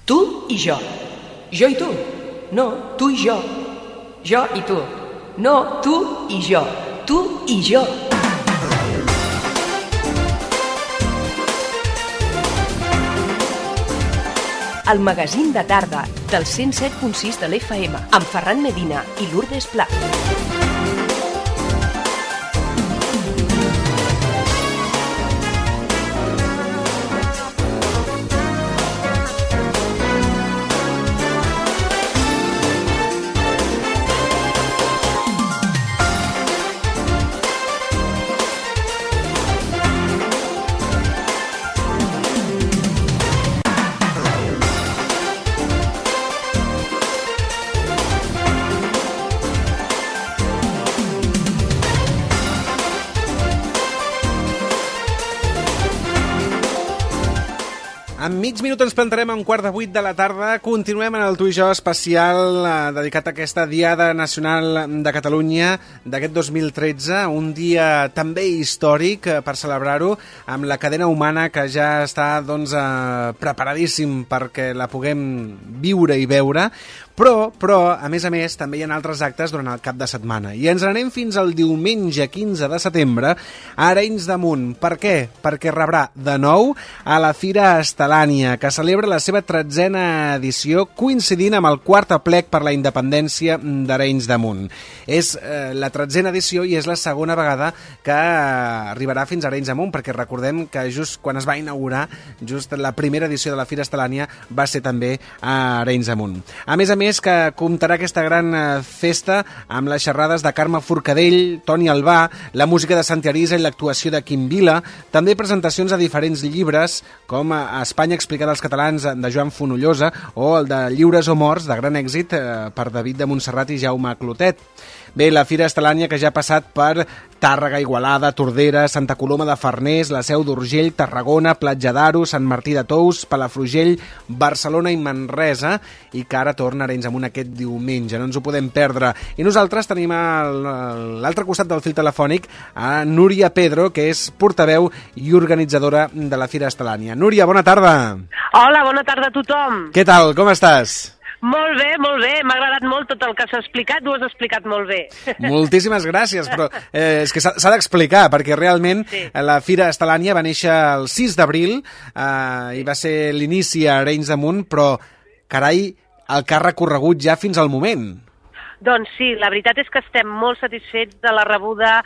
Tu i jo. Jo i tu. No, tu i jo. Jo i tu. No, tu i jo. Tu i jo. El magazín de tarda del 107.6 de l'FM amb Ferran Medina i Lourdes Pla. En mig minut ens plantarem a 7:15 de la tarda. Continuem en el Tu i jo especial dedicat a aquesta Diada Nacional de Catalunya d'aquest 2013, un dia també històric per celebrar-ho, amb la cadena humana que ja està preparadíssim perquè la puguem viure i veure. Però, a més, també hi ha altres actes durant el cap de setmana. I ens n'anem fins al diumenge 15 de setembre a Arenys de Munt. Per què? Perquè rebrà de nou a la Fira Estelània, que celebra la seva 13a edició, coincidint amb el quart aplec per la independència d'Arenys de Munt. És la 13a edició i és la segona vegada que arribarà fins a Arenys de Munt, perquè recordem que just quan es va inaugurar, just la primera edició de la Fira Estelània va ser també a Arenys de Munt. A més, que comptarà aquesta gran festa amb les xerrades de Carme Forcadell, Toni Albà, la música de Santi Arisa i l'actuació de Quim Vila, també presentacions de diferents llibres, com Espanya explicada als catalans, de Joan Fonollosa, o el de Lliures o morts, de gran èxit, per David de Montserrat i Jaume Clotet. Bé, la Fira Estelània, que ja ha passat per Tàrrega, Igualada, Tordera, Santa Coloma de Farners, la Seu d'Urgell, Tarragona, Platja d'Aro, Sant Martí de Tous, Palafrugell, Barcelona i Manresa, i que ara torna a Arenys de Munt aquest diumenge. No ens ho podem perdre. I nosaltres tenim a l'altre costat del fil telefònic a Núria Pedro, que és portaveu i organitzadora de la Fira Estelània. Núria, bona tarda. Hola, bona tarda a tothom. Què tal, com estàs? Molt bé, m'ha agradat molt tot el que s'ha explicat, ho has explicat molt bé. Moltíssimes gràcies, però és que s'ha d'explicar, perquè realment la Fira Estelània va néixer el 6 d'abril i va ser l'inici a Arenys de Munt, però, carai, el que ha recorregut ja fins al moment. Doncs sí, la veritat és que estem molt satisfets de la rebuda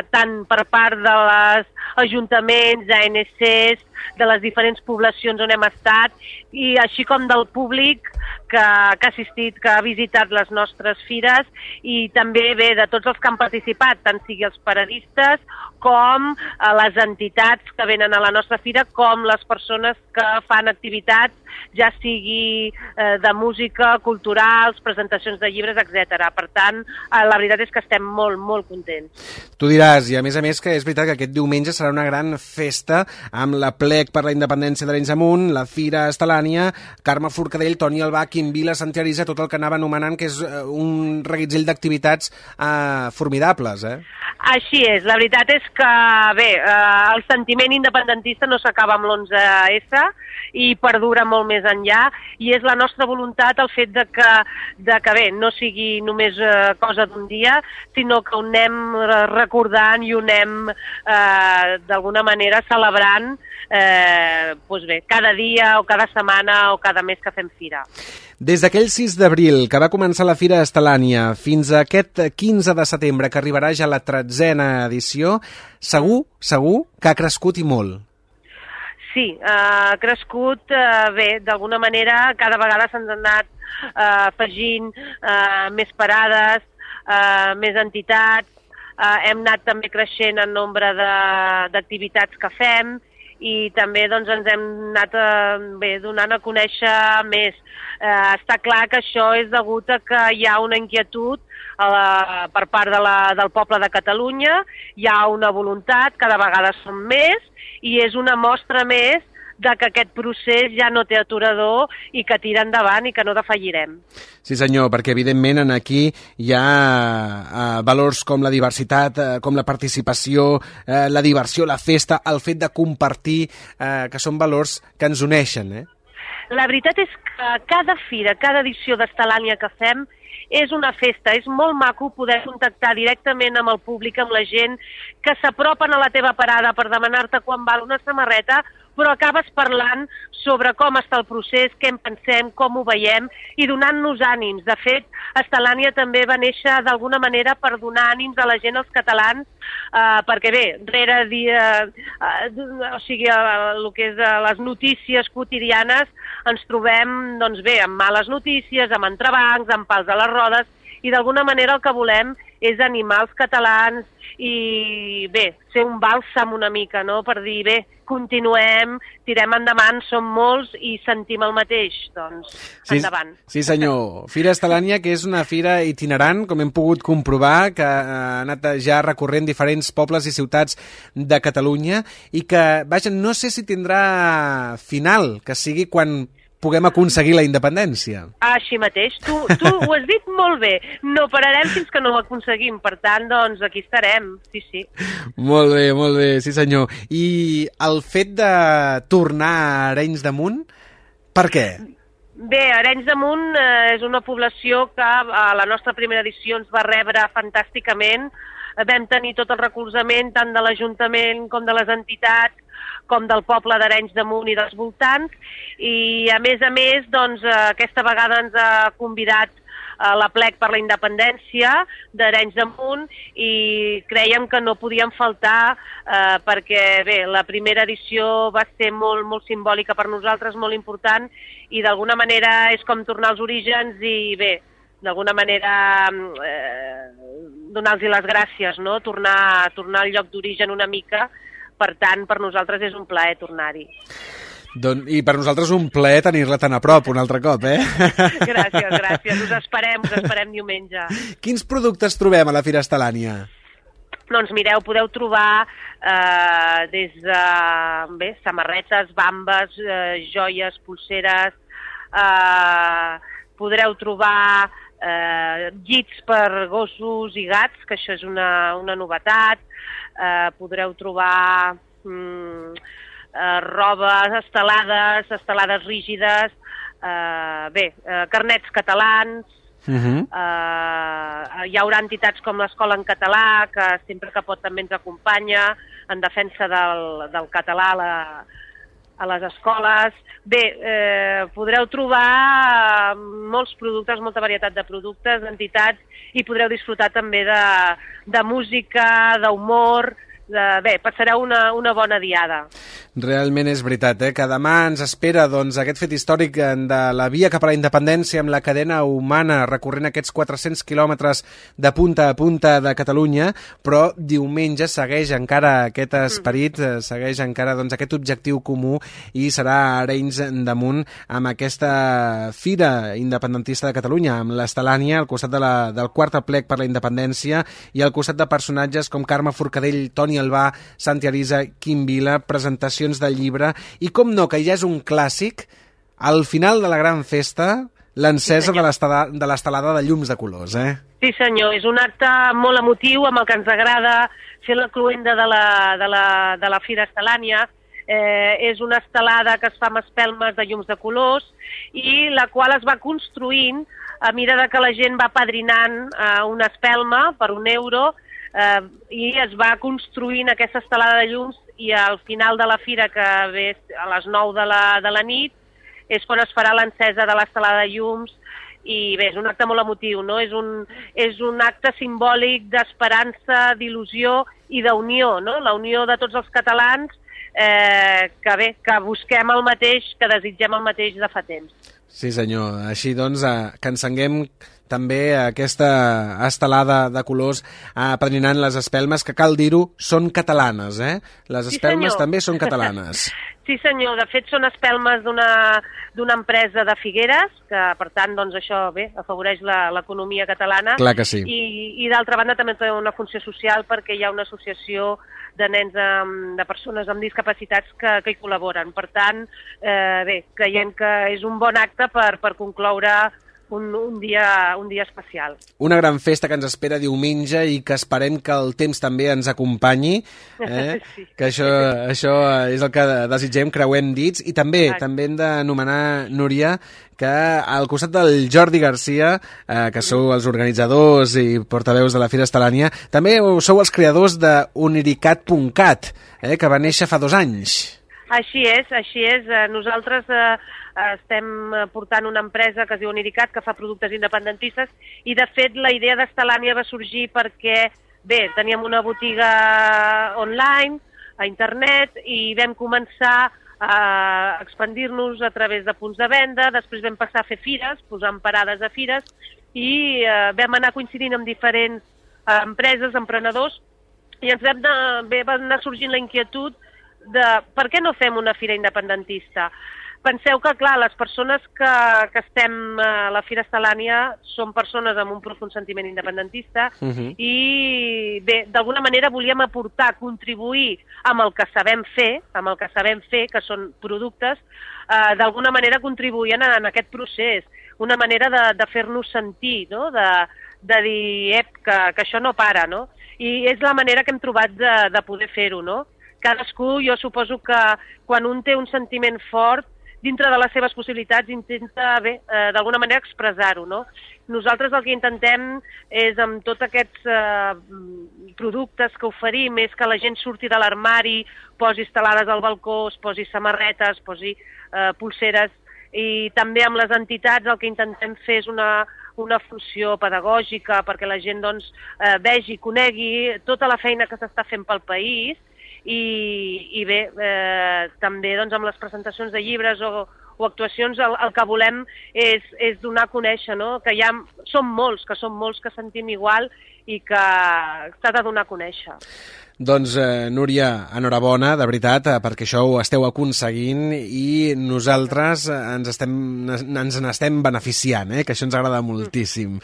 tant per part dels ajuntaments, d'ANCs, de les diferents poblacions on hem estat, i així com del públic que ha assistit, que ha visitat les nostres fires, i també bé de tots els que han participat, tant sigui els paradistes com les entitats que venen a la nostra fira, com les persones que fan activitats, ja sigui de música, culturals, presentacions de llibres, etc. Per tant, la veritat és que estem molt, molt contents. Tu diràs, i a més que és veritat que aquest diumenge serà una gran festa amb l'aplec per la independència d'Arenys de Munt, la Fira Estelània, Carme Forcadell, Toni Albà, Quim Vila, Santi Arisa, tot el que anava anomenant, que és un reguitzell d'activitats formidables, Així és, la veritat és que, bé, el sentiment independentista no s'acaba amb l'11S i perdura molt més enllà, i és la nostra voluntat el fet de que bé, no sigui només cosa d'un dia, sinó que ho anem recordant i ho anem d'alguna manera celebrant cada dia o cada setmana o cada mes que fem fira. Des d'aquell 6 d'abril que va començar la Fira Estelània fins a aquest 15 de setembre que arribarà ja la 13a edició, segur que ha crescut i molt. Sí, ha crescut, bé, d'alguna manera cada vegada s'han anat afegint més parades, més entitats, hem anat també creixent en nombre d'activitats que fem, i també doncs, ens hem anat donant a conèixer més. Està clar que això és degut a que hi ha una inquietud per part del poble de Catalunya, hi ha una voluntat, cada vegada som més, i és una mostra més de que aquest procés ja no té aturador i que tira endavant i que no defallirem. Sí senyor, perquè evidentment aquí hi ha valors com la diversitat, com la participació, la diversió, la festa, el fet de compartir, que són valors que ens uneixen, La veritat és que cada fira, cada edició d'Estelània que fem és una festa, és molt maco poder contactar directament amb el públic, amb la gent que s'apropen a la teva parada per demanar-te quan val una samarreta, però acabes parlant sobre com està el procés, què en pensem, com ho veiem i donant-nos ànims. De fet, Estelània també va néixer d'alguna manera per donar ànims a la gent, als catalans, perquè bé, rere o sigui, el que és les notícies quotidianes ens trobem, doncs bé, amb males notícies, amb entrebancs, amb pals a les rodes, i d'alguna manera el que volem és animar els catalans i bé, ser un bàlsam una mica, no?, per dir, bé, continuem, tirem endavant, som molts i sentim el mateix, doncs endavant. Sí senyor, Fira Estelània, que és una fira itinerant, com hem pogut comprovar, que ha anat ja recorrent diferents pobles i ciutats de Catalunya i que, vaja, no sé si tindrà final, que sigui quan puguem aconseguir la independència. Així mateix, tu ho has dit molt bé, no pararem fins que no ho aconseguim, per tant, doncs aquí estarem, sí. Molt bé, sí senyor. I el fet de tornar a Arenys de Munt, per què? Bé, Arenys de Munt és una població que a la nostra primera edició ens va rebre fantàsticament, vam tenir tot el recolzament tant de l'Ajuntament com de les entitats, com del poble d'Arenys de Munt i dels voltants, i a més, doncs, aquesta vegada ens ha convidat a la plec per la independència d'Arenys de Munt i crèiem que no podien faltar perquè, bé, la primera edició va ser molt, molt simbòlica per nosaltres, molt important, i d'alguna manera és com tornar als orígens i, bé, d'alguna manera donar-los les gràcies, no?, tornar al lloc d'origen una mica. Per tant, per nosaltres és un plaer tornar-hi. I per nosaltres un plaer tenir-la tan a prop un altre cop, eh? Gràcies. Us esperem diumenge. Quins productes trobem a la Fira Estelània? Doncs mireu, podeu trobar des de samarretes, bambes, joies, polseres, podreu trobar llits per gossos i gats, que això és una novetat, podreu trobar roba, estelades rígides, carnets catalans, hi haurà entitats com l'Escola en Català, que sempre que pot també ens acompanya en defensa del català a les escoles. Bé, podreu trobar molts productes, molta varietat de productes, d'entitats, i podreu disfrutar també de música, d'humor. Bé, passareu una bona diada. Realment és veritat, que demà ens espera aquest fet històric de la via cap a la independència amb la cadena humana recorrent aquests 400 quilòmetres de punta a punta de Catalunya, però diumenge segueix encara aquest esperit, segueix encara aquest objectiu comú i serà a Arenys de Munt amb aquesta fira independentista de Catalunya, amb l'Estelània al costat del quart aplec per la independència i al costat de personatges com Carme Forcadell, Toni Albà, Santi Arisa, Quim Vila, presentacions del llibre i, com no, que ja és un clàssic, al final de la gran festa, l'encesa de l'estelada de llums de colors, Sí senyor, és un acte molt emotiu amb el que ens agrada fer la cloenda de la Fira Estelània. És una estelada que es fa amb espelmes de llums de colors i la qual es va construint a mesura que la gent va padrinant una espelma per €1 i es va construint aquesta estelada de llums i al final de la fira, que ve a les 9 de la nit, és quan es farà l'encesa de l'estelada de llums i bé, és un acte molt emotiu, no? És un acte simbòlic d'esperança, d'il·lusió i d'unió, no? La unió de tots els catalans que busquem el mateix, que desitgem el mateix de fa temps. Sí senyor, així doncs que encenguem també aquesta estelada de colors apadrinant les espelmes, que cal dir-ho, són catalanes, Les espelmes també són catalanes. Sí senyor, de fet són espelmes d'una empresa de Figueres, que per tant doncs això afavoreix l'economia catalana. Clar que sí. I d'altra banda també té una funció social perquè hi ha una associació de nens, de persones amb discapacitats que hi col·laboren. Per tant, creiem que és un bon acte per concloure un dia especial. Una gran festa que ens espera diumenge i que esperem que el temps també ens acompanyi, Sí. que això és el que desitgem, creuem dits, i també hem d'anomenar, Núria, que al costat del Jordi Garcia, que sou els organitzadors i portaveus de la Fira Estel·lània, també sou els creadors de Uniricat.cat, que va néixer fa 2 anys. Així és. Nosaltres estem portant una empresa que es diu Uniricat, que fa productes independentistes, i de fet la idea d'Estel·lània va sorgir perquè, bé, teníem una botiga online, a internet, i vam començar a expandir-nos a través de punts de venda, després vam passar a fer fires, posant parades a fires, i vam anar coincidint amb diferents empreses, emprenedors, i ens va anar sorgint la inquietud de per què no fem una fira independentista. Penseu que, clar, les persones que estem a la Fira Estel·lània són persones amb un profund sentiment independentista i, bé, d'alguna manera volíem aportar, contribuir amb el que sabem fer, que són productes, d'alguna manera contribuint en aquest procés, una manera de fer-nos sentir, no? De dir, que això no para, no? I és la manera que hem trobat de poder fer-ho, no? Cadascú, jo suposo que quan un té un sentiment fort, dintre de les seves possibilitats, intenta, bé, d'alguna manera expressar-ho, no? Nosaltres el que intentem és, amb tots aquests productes que oferim, és que la gent surti de l'armari, posi estelades al balcó, es posi samarretes, posi pulseres, i també amb les entitats el que intentem fer és una funció pedagògica perquè la gent doncs, vegi, conegui tota la feina que s'està fent pel país, i bé, també doncs, amb les presentacions de llibres o actuacions el que volem és donar a conèixer, no? Que som molts que sentim igual i que s'ha de donar a conèixer. Doncs, Núria, enhorabona, de veritat, perquè això ho esteu aconseguint i nosaltres ens n'estem beneficiant, que això ens agrada moltíssim.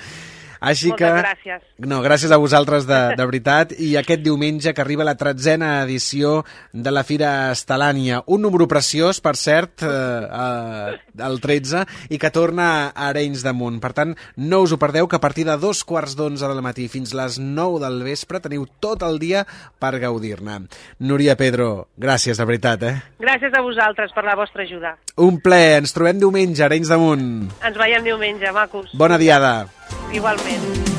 Així Moltes gràcies. No, gràcies a vosaltres, de veritat, i aquest diumenge que arriba la 13a edició de la Fira Estel·lània. Un número preciós, per cert, el 13, i que torna a Arenys de Munt. Per tant, no us ho perdeu, que a partir de 2:15 del matí fins les 9 del vespre teniu tot el dia per gaudir-ne. Núria Pedro, gràcies, de veritat. Gràcies a vosaltres per la vostra ajuda. Un plaer, ens trobem diumenge a Arenys de Munt. Ens veiem diumenge, macos. Bona diada. Igualment.